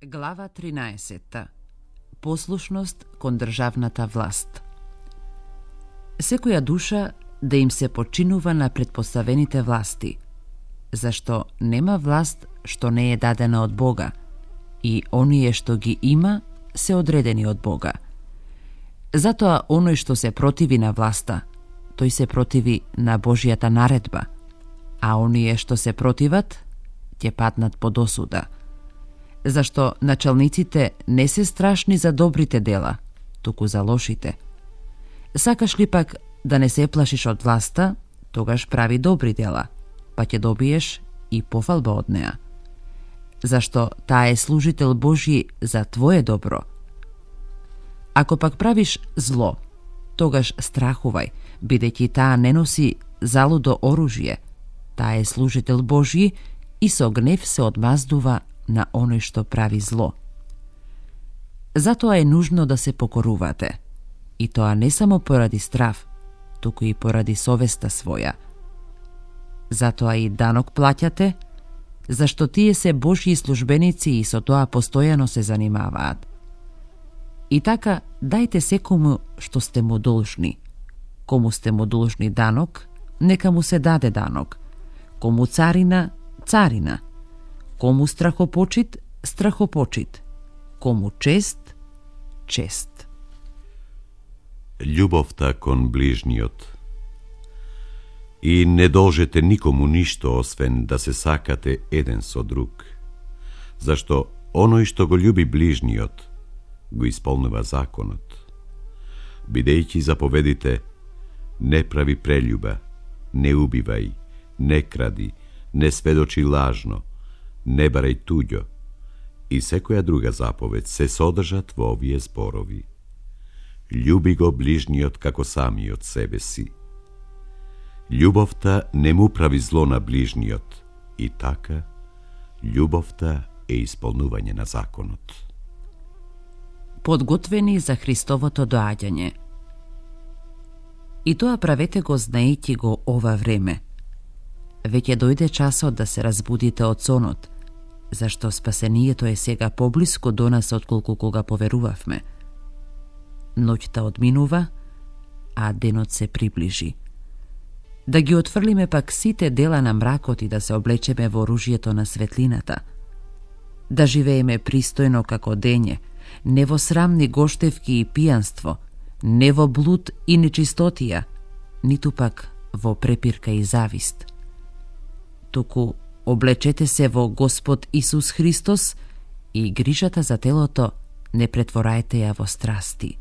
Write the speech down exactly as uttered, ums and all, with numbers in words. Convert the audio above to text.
Глава тринаесетта. Послушност кон државната власт. Секоја душа да им се починува на предпоставените власти, зашто нема власт што не е дадена од Бога, и оние што ги има се одредени од Бога. Затоа оној што се противи на власта, тој се противи на Божјата наредба, а оние што се противат, ќе паднат под осуда. Зашто началниците не се страшни за добрите дела, туку за лошите. Сакаш ли пак да не се плашиш од власта, тогаш прави добри дела, па ќе добиеш и пофалба од неа. Зашто таа е служител Божји за твое добро. Ако пак правиш зло, тогаш страхувај, бидејќи таа не носи залудо оружје, таа е служител Божји и со гнев се одмаздува на оној што прави зло. Затоа е нужно да се покорувате, и тоа не само поради страв, туку и поради совеста своја. Затоа и данок плаќате, зашто тие се Божји службеници и со тоа постојано се занимаваат. И така, дајте секому што сте му должни. Кому сте му должни данок, нека му се даде данок. Кому царина, царина. Кому страхопочит, страхопочит. Кому чест, чест. Љубовта кон ближниот. И не должете никому ништо освен да се сакате еден со друг, зашто оној што го љуби ближниот, го исполнува законот. Бидејќи заповедите: не прави прељуба, не убивај, не кради, не сведочи лажно, не барај туѓо, и секоја друга заповед се содржат во овие зборови. Љуби го ближниот како самиот себе си. Љубовта не му прави зло на ближниот, и така, љубовта е исполнување на законот. Подготвени за Христовото доаѓање. И тоа правете го знаејќи го ова време. Веќе дојде часот да се разбудите од сонот, зашто спасението е сега поблиску до нас отколку кога поверувавме. Ноќта одминува, а денот се приближи. Да ги отфрлиме пак сите дела на мракот и да се облечеме во оружјето на светлината. Да живееме пристојно како дење, не во срамни гоштевки и пијанство, не во блуд и нечистотија, ниту пак во препирка и завист. Туку облечете се во Господ Исус Христос и грижата за телото не претворајте ја во страсти.